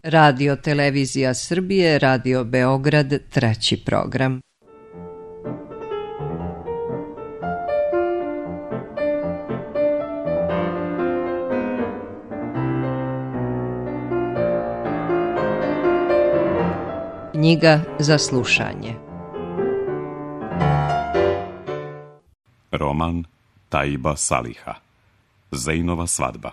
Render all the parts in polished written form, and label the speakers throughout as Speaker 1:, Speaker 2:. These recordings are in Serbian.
Speaker 1: Radio Televizija Srbije, Radio Beograd, 3. program. Knjiga za slušanje.
Speaker 2: Roman Taiba Saliha. Zejnova svadba.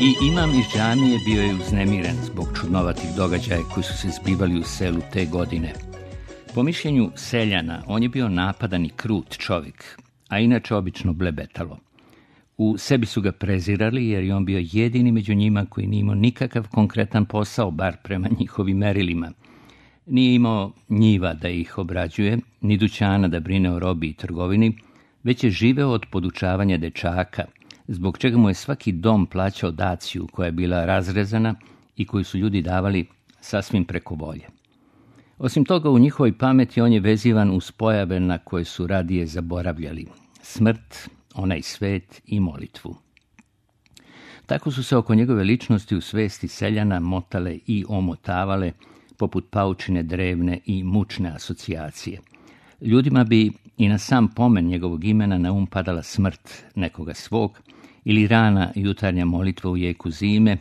Speaker 3: I imam iz džamije bio je uznemiren zbog čudnovatih događaja koji su se zbivali u selu te godine. Po mišljenju seljana, on je bio napadan i krut čovjek, a inače obično blebetalo. U sebi su ga prezirali jer je on bio jedini među njima koji nije imao nikakav konkretan posao, bar prema njihovim merilima. Nije imao njiva da ih obrađuje, ni dućana da brine o robi i trgovini, već je živeo od podučavanja dečaka, zbog čega mu je svaki dom plaćao daciju koja je bila razrezana i koju su ljudi davali sasvim preko volje. Osim toga, u njihovoj pameti on je vezivan uz pojave na koje su radije zaboravljali: smrt, onaj svet i molitvu. Tako su se oko njegove ličnosti u svesti seljana motale i omotavale, poput paučine drevne i mučne asocijacije. Ljudima bi i na sam pomen njegovog imena na padala smrt nekoga svog, ili rana jutarnja molitva u jeku zime,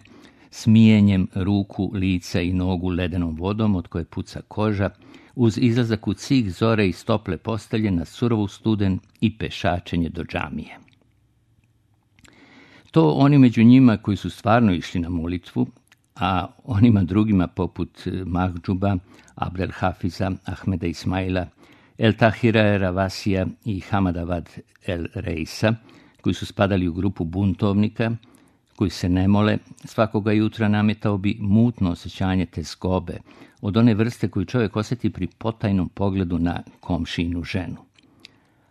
Speaker 3: smijenjem ruku, lica i nogu ledenom vodom od koje puca koža, uz izlazak u cik zore iz tople postelje na surovu studen i pešačenje do džamije. To oni među njima koji su stvarno išli na molitvu, a onima drugima poput Mahdžuba, Abdel Hafiza, Ahmeda Ismaila, El Tahira Ravasija i Hamadavad El Reisa, koji su spadali u grupu buntovnika, koji se ne mole, svakoga jutra nametao bi mutno osjećanje tezgobe, od one vrste koju čovjek osjeti pri potajnom pogledu na komšinu ženu.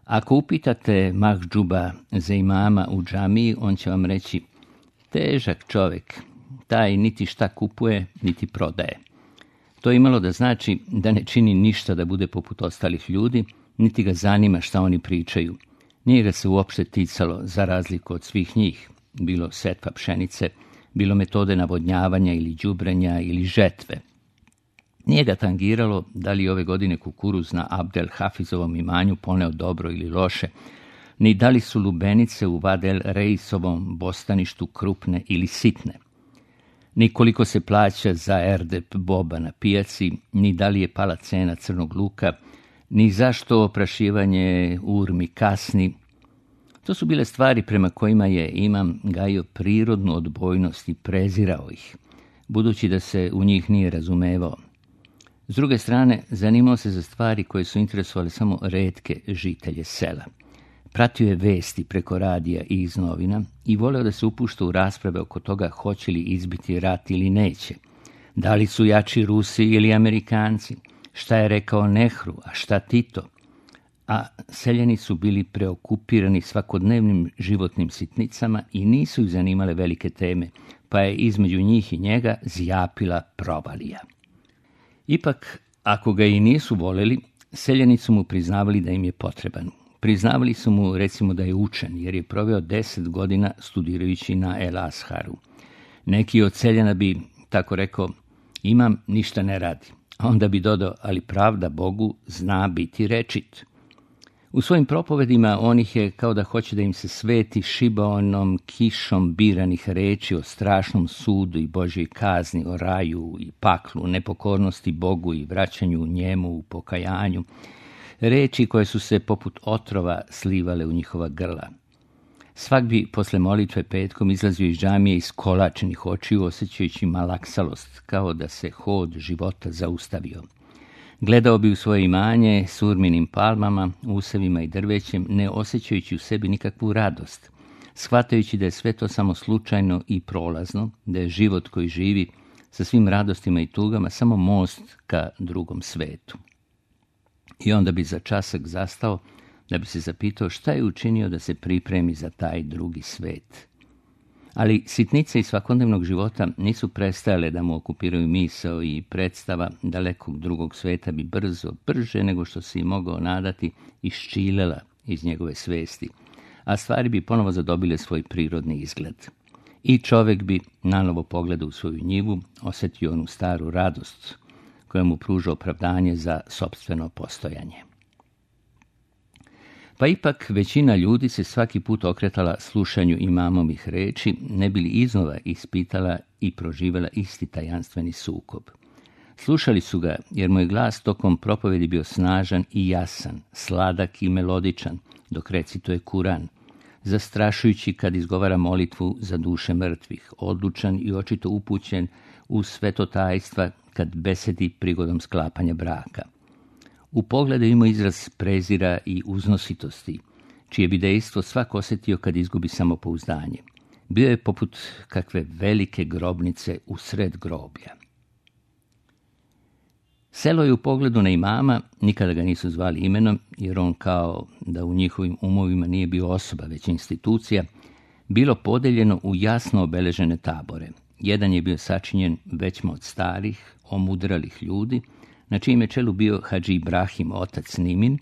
Speaker 3: Ako upitate Mahdžuba za imama u džamiji, on će vam reći: težak čovjek, taj niti šta kupuje, niti prodaje. To je imalo da znači da ne čini ništa da bude poput ostalih ljudi, niti ga zanima šta oni pričaju. Nije ga se uopšte ticalo, za razliku od svih njih, bilo setva pšenice, bilo metode navodnjavanja ili đubrenja ili žetve. Nije ga tangiralo da li ove godine kukuruz na Abdel Hafizovom imanju poneo dobro ili loše, ni da li su lubenice u Vadel Reisovom bostaništu krupne ili sitne, ni koliko se plaća za erdep boba na pijaci, ni da li je pala cena crnog luka, ni zašto oprašivanje urmi kasni. To su bile stvari prema kojima je imam gajio prirodnu odbojnost i prezirao ih, budući da se u njih nije razumevao. S druge strane, zanimao se za stvari koje su interesovali samo retke žitelje sela. Pratio je vesti preko radija i iz novina i voleo da se upušta u rasprave oko toga hoće li izbiti rat ili neće. Da li su jači Rusi ili Amerikanci? Šta je rekao Nehru, a šta Tito? A seljani su bili preokupirani svakodnevnim životnim sitnicama i nisu ih zanimale velike teme, pa je između njih i njega zjapila provalija. Ipak, ako ga i nisu voleli, seljani su mu priznavali da im je potreban. Priznavali su mu, recimo, da je učen, jer je proveo 10 godina studirajući na El Asharu. Neki od seljana bi tako rekao: imam, ništa ne radi. A onda bi dodao: ali pravda Bogu zna biti rečit. U svojim propovedima on ih je, kao da hoće da im se sveti, šibaonom kišom biranih reči o strašnom sudu i Božjoj kazni, o raju i paklu, nepokornosti Bogu i vraćanju njemu u pokajanju. Reči koje su se poput otrova slivale u njihova grla. Svak bi posle molitve petkom izlazio iz džamije iskolačenih očiju, osjećajući malaksalost, kao da se hod života zaustavio. Gledao bi u svoje imanje s urminim palmama, usevima i drvećem, ne osjećajući u sebi nikakvu radost, shvatajući da je sve to samo slučajno i prolazno, da je život koji živi sa svim radostima i tugama samo most ka drugom svetu. I onda bi za časak zastao da bi se zapitao šta je učinio da se pripremi za taj drugi svet. Ali sitnice iz svakodnevnog života nisu prestajale da mu okupiraju misao i predstava dalekog drugog sveta bi brže nego što se i mogao nadati, iščilela iz njegove svesti, a stvari bi ponovo zadobile svoj prirodni izgled. I čovjek bi nanovo pogledao u svoju njivu, osjetio onu staru radost koja mu pruža opravdanje za sopstveno postojanje. Pa ipak većina ljudi se svaki put okretala slušanju imamovih reči, ne bi li iznova ispitala i proživjela isti tajanstveni sukob. Slušali su ga jer mu je glas tokom propovedi bio snažan i jasan, sladak i melodičan, dok recituje Kuran, zastrašujući kad izgovara molitvu za duše mrtvih, odlučan i očito upućen u svetotajstva kad besedi prigodom sklapanja braka. U pogledu ima izraz prezira i uznositosti, čije bi dejstvo svak osjetio kad izgubi samopouzdanje. Bio je poput kakve velike grobnice u sred groblja. Selo je u pogledu na imama, nikada ga nisu zvali imenom, jer on kao da u njihovim umovima nije bio osoba, već institucija, bilo podeljeno u jasno obeležene tabore. Jedan je bio sačinjen većma od starih, omudralih ljudi, na čijem je čelu bio Hadži Ibrahim, otac Nimin,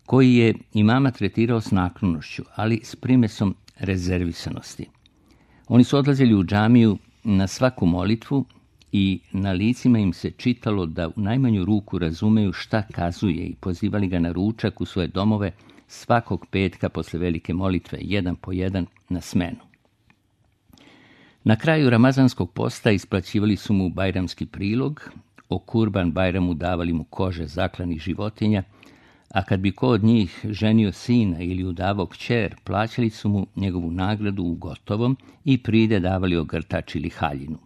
Speaker 3: koji je imama tretirao s naklonošću, ali s primesom rezervisanosti. Oni su odlazili u džamiju na svaku molitvu i na licima im se čitalo da u najmanju ruku razumeju šta kazuje i pozivali ga na ručak u svoje domove svakog petka posle velike molitve, jedan po jedan na smenu. Na kraju ramazanskog posta isplaćivali su mu bajramski prilog, o Kurban Bajramu davali mu kože zaklanih životinja, a kad bi ko od njih ženio sina ili udavao kćer, plaćali su mu njegovu nagradu u gotovom i pride davali ogrtač ili haljinu.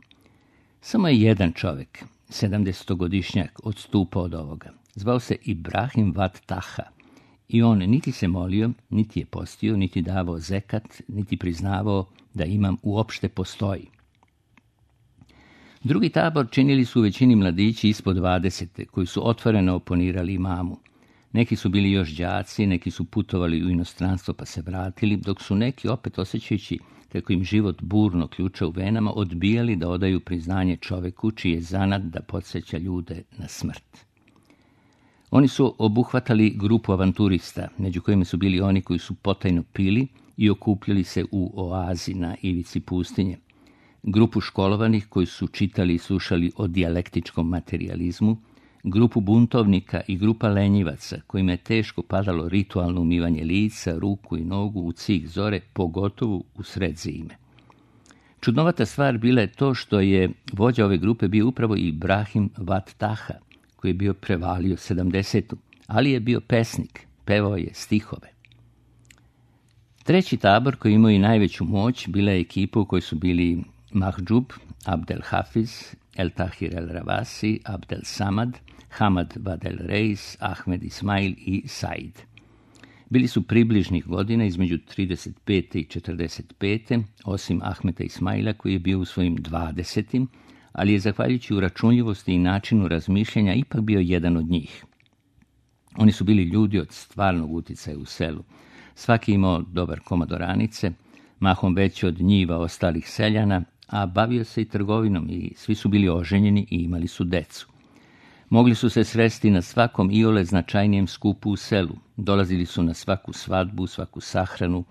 Speaker 3: Samo je jedan čovjek, 70-godišnjak, odstupao od ovoga. Zvao se Ibrahim Vat Taha i on niti se molio, niti je postio, niti davao zekat, niti priznavao da imam uopšte postoji. Drugi tabor činili su u većini mladići ispod 20, koji su otvoreno oponirali imamu. Neki su bili još đaci, neki su putovali u inostranstvo pa se vratili, dok su neki, opet osjećajući kako im život burno ključa u venama, odbijali da odaju priznanje čoveku čiji je zanat da podsjeća ljude na smrt. Oni su obuhvatali grupu avanturista, među kojima su bili oni koji su potajno pili i okupljali se u oazi na ivici pustinje, grupu školovanih koji su čitali i slušali o dijalektičkom materijalizmu, grupu buntovnika i grupa lenjivaca kojima je teško padalo ritualno umivanje lica, ruku i nogu u cik zore, pogotovo u sred zime. Čudnovata stvar bila je to što je vođa ove grupe bio upravo Ibrahim Vat Taha, koji je bio prevalio 70, ali je bio pesnik, pevao je stihove. Treći tabor koji imao i najveću moć bila je ekipa u kojoj su bili Mahđub, Abdel Hafiz, El Tahir El Ravasi, Abdel Samad, Hamad Vadel Reis, Ahmed Ismail i Said. Bili su približnih godina između 35. i 45. osim Ahmeda Ismaila koji je bio u svojim 20. ali je zahvaljujući uračunljivosti i načinu razmišljanja ipak bio jedan od njih. Oni su bili ljudi od stvarnog uticaja u selu. Svaki imao dobar komad oranice, mahom veći od njiva ostalih seljana, a bavio se i trgovinom i svi su bili oženjeni i imali su decu. Mogli su se sresti na svakom iole značajnijem skupu u selu, dolazili su na svaku svadbu, svaku sahranu,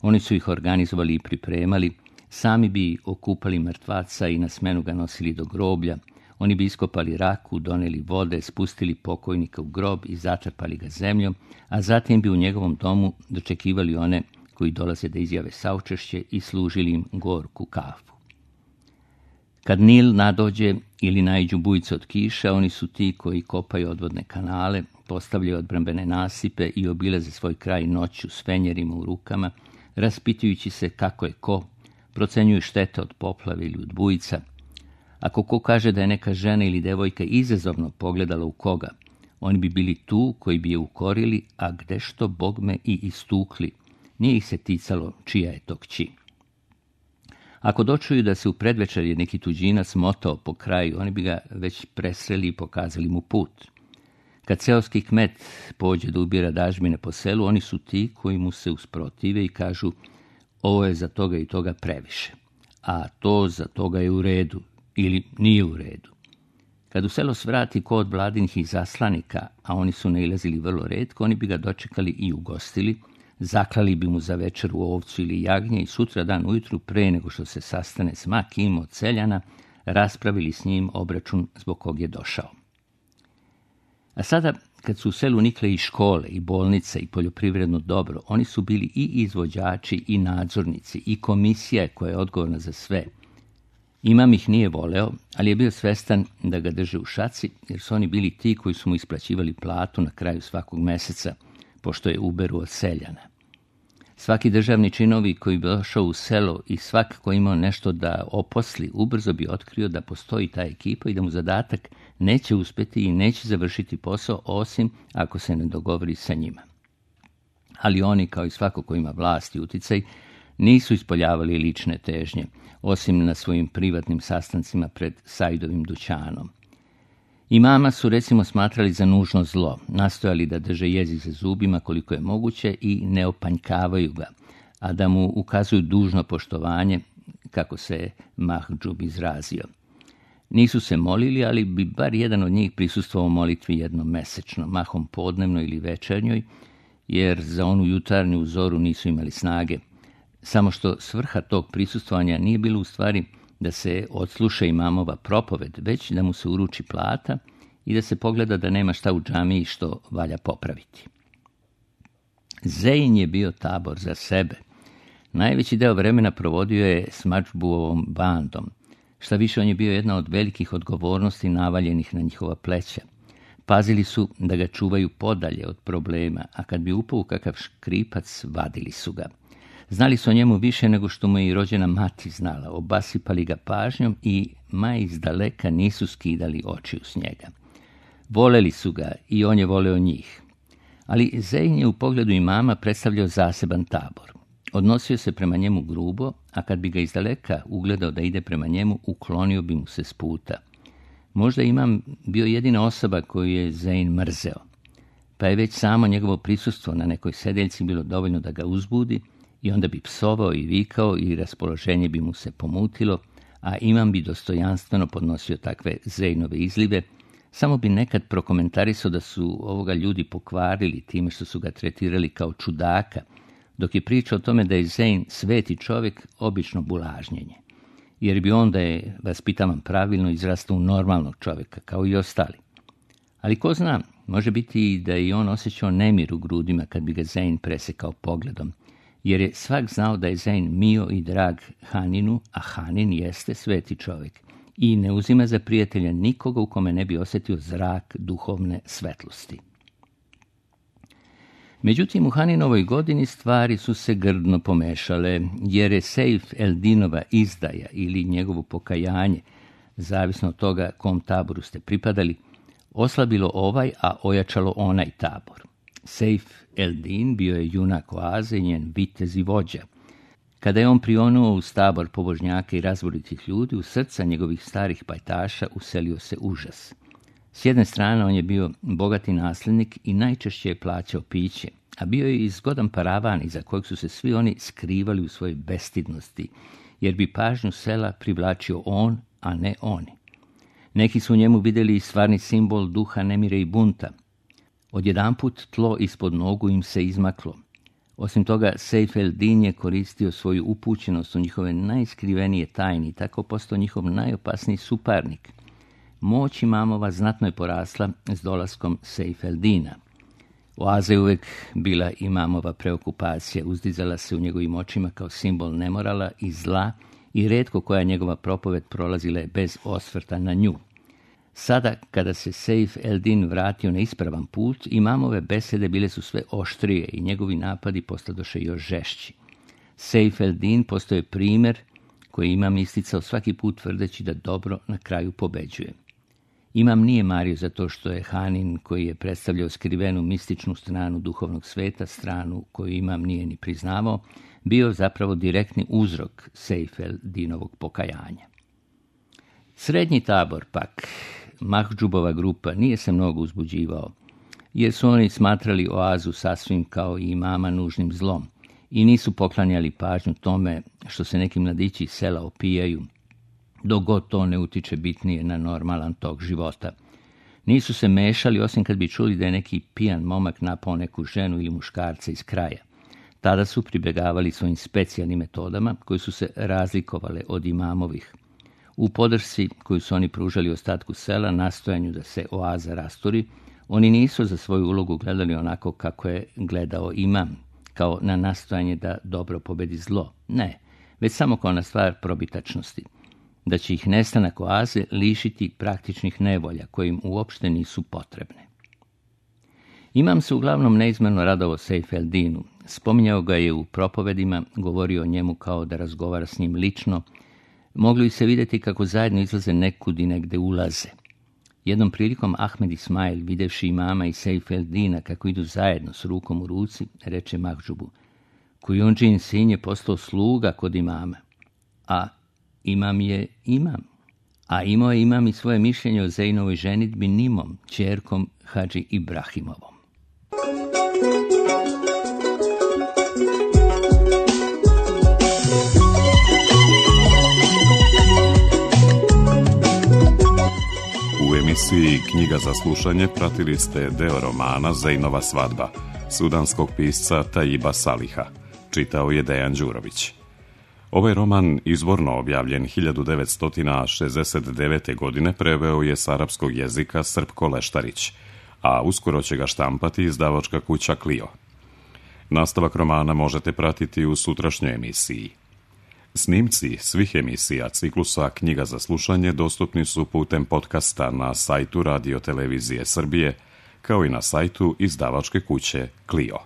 Speaker 3: oni su ih organizovali i pripremali, sami bi okupali mrtvaca i na smenu ga nosili do groblja, oni bi iskopali raku, doneli vode, spustili pokojnika u grob i zatrpali ga zemljom, a zatim bi u njegovom domu dočekivali one koji dolaze da izjave saučešće i služili im gorku kafu. Kad Nil nadođe ili naiđu bujice od kiša, oni su ti koji kopaju odvodne kanale, postavljaju odbrambene nasipe i obilaze svoj kraj noću s fenjerima u rukama, raspitujući se kako je ko, procenjuju štete od poplave ili od bujica. Ako ko kaže da je neka žena ili devojka izazovno pogledala u koga, oni bi bili tu koji bi je ukorili, a gdešto bogme i istukli. Nije ih se ticalo čija je to kći. Ako dočuju da se u predvečerje neki tuđinac motao po kraju, oni bi ga već presreli i pokazali mu put. Kad seoski kmet pođe da ubira dažbine po selu, oni su ti koji mu se usprotive i kažu ovo je za toga i toga previše. a to za toga je u redu ili nije u redu. Kad u selo svrati ko od vladinih izaslanika, a oni su nailazili vrlo retko, oni bi ga dočekali i ugostili, zaklali bi mu za večeru ovcu ili jagnje i sutra dan ujutru, pre nego što se sastane s ma kim od seljana, raspravili s njim obračun zbog kog je došao. A sada, kad su u selu nikle i škole, i bolnice, i poljoprivredno dobro, oni su bili i izvođači, i nadzornici, i komisija koja je odgovorna za sve. Imam ih nije voleo, ali je bio svestan da ga drže u šaci, jer su oni bili ti koji su mu isplaćivali platu na kraju svakog meseca, pošto je uberu od seljana. Svaki državni činovi koji bi došao u selo i svak koji imao nešto da oposli, ubrzo bi otkrio da postoji ta ekipa i da mu zadatak neće uspjeti i neće završiti posao, osim ako se ne dogovori sa njima. Ali oni, kao i svako ko ima vlast i uticaj, nisu ispoljavali lične težnje, osim na svojim privatnim sastancima pred Saidovim dućanom. Imama su recimo smatrali za nužno zlo, nastojali da drže jezik za zubima koliko je moguće i ne opanjkavaju ga, a da mu ukazuju dužno poštovanje, kako se Mahdžub izrazio. Nisu se molili, ali bi bar jedan od njih prisustvovao molitvi jednom mesečno, mahom podnevno ili večernjoj, jer za onu jutarnju zoru nisu imali snage. Samo što svrha tog prisustvovanja nije bilo u stvari da se odsluša imamova propoved, već da mu se uruči plata i da se pogleda da nema šta u džamiji što valja popraviti. Zein je bio tabor za sebe. Najveći deo vremena provodio je s Mahdžubovom bandom. Šta više, on je bio jedna od velikih odgovornosti navaljenih na njihova pleća. Pazili su da ga čuvaju podalje od problema, a kad bi upao u kakav škripac, vadili su ga. Znali su o njemu više nego što mu je i rođena mati znala, obasipali ga pažnjom i ma izdaleka nisu skidali očiju s njega. Voleli su ga i on je voleo njih. Ali Zein je u pogledu imama predstavljao zaseban tabor. Odnosio se prema njemu grubo, a kad bi ga izdaleka ugledao da ide prema njemu, uklonio bi mu se s puta. Možda imam bio jedina osoba koju je Zein mrzeo, pa je već samo njegovo prisustvo na nekoj sedeljci bilo dovoljno da ga uzbudi i onda bi psovao i vikao i raspoloženje bi mu se pomutilo, a imam bi dostojanstveno podnosio takve Zeinove izlive, samo bi nekad prokomentarisao da su ovoga ljudi pokvarili time što su ga tretirali kao čudaka, dok je pričao o tome da je Zein sveti čovjek obično bulažnjenje, jer bi onda je, vaspitavan pravilno, izrastao u normalnog čovjeka, kao i ostali. Ali ko zna, može biti i da je on osjećao nemir u grudima kad bi ga Zein presekao pogledom, jer je svak znao da je Zein mio i drag Haninu, a Hanin jeste sveti čovjek i ne uzima za prijatelja nikoga u kome ne bi osjetio zrak duhovne svetlosti. Međutim, u Haninovoj godini stvari su se grdno pomešale, jer je Sejf el-Dinova izdaja ili njegovo pokajanje, zavisno od toga kom taboru ste pripadali, oslabilo ovaj, a ojačalo onaj tabor. Sejf el-Din bio je junak oaze, njen vitez i vođa. Kada je on prionuo uz tabor pobožnjaka i razboritih ljudi, u srca njegovih starih pajtaša uselio se užas. S jedne strane on je bio bogati nasljednik i najčešće je plaćao piće, a bio je i zgodan paravan iza kojeg su se svi oni skrivali u svojoj bestidnosti, jer bi pažnju sela privlačio on, a ne oni. Neki su u njemu vidjeli stvarni simbol duha nemire i bunta. Odjedanput tlo ispod nogu im se izmaklo. Osim toga, Sejf el-Din je koristio svoju upućenost u njihove najskrivenije tajni i tako postao njihov najopasniji suparnik. Moć imamova znatno je porasla s dolaskom Sejf el-Dina. Oaza je uvijek bila imamova preokupacija, uzdizala se u njegovim očima kao simbol nemorala i zla i retko koja njegova propoved prolazila je bez osvrta na nju. Sada, kada se Sejf el-Din vratio na ispravan put, imamove besede bile su sve oštrije i njegovi napadi postadoše još žešći. Sejf el-Din postao je primjer koji imam isticao svaki put tvrdeći da dobro na kraju pobeđuje. Imam nije mario za to što je Hanin, koji je predstavljao skrivenu mističnu stranu duhovnog sveta, stranu koju imam nije ni priznavao, bio zapravo direktni uzrok Sejf el-Dinovog pokajanja. Srednji tabor pak, Mahdžubova grupa, nije se mnogo uzbuđivao, jer su oni smatrali oazu sasvim kao i imama nužnim zlom i nisu poklanjali pažnju tome što se neki mladići iz sela opijaju, dok god to ne utiče bitnije na normalan tok života. Nisu se mešali osim kad bi čuli da je neki pijan momak napao neku ženu ili muškarca iz kraja. Tada su pribjegavali svojim specijalnim metodama koje su se razlikovale od imamovih. U podršci koju su oni pružali ostatku sela, nastojanju da se oaza rasturi, oni nisu za svoju ulogu gledali onako kako je gledao imam, kao na nastojanje da dobro pobedi zlo. Ne, već samo kao na stvar probitačnosti, da će ih nestanak oaze lišiti praktičnih nevolja koje im uopšte nisu potrebne. Imam se uglavnom neizmjerno radovao Sejf el-Dinu. Spominjao ga je u propovedima, govorio o njemu kao da razgovara s njim lično. Mogli se vidjeti kako zajedno izlaze nekud i negde ulaze. Jednom prilikom Ahmed Ismail, videvši imama i Sejf el-Dina kako idu zajedno s rukom u ruci, reče Mahdžubu: Kujundžin sin je postao sluga kod imama, a imam je imam. A imao je imam i svoje mišljenje o Zejnovoj ženidbi Nimom, ćerkom Hadži Ibrahimovom.
Speaker 2: U emisiji Knjiga za slušanje pratili ste deo romana Zejnova svadba sudanskog pisca Taiba Saliha. Čitao je Dejan Đurović. Ovaj roman, izvorno objavljen 1969. godine, preveo je s arapskog jezika Srpko Leštarić, a uskoro će ga štampati izdavačka kuća Clio. Nastavak romana možete pratiti u sutrašnjoj emisiji. Snimci svih emisija ciklusa Knjiga za slušanje dostupni su putem podcasta na sajtu Radio Televizije Srbije, kao i na sajtu izdavačke kuće Clio.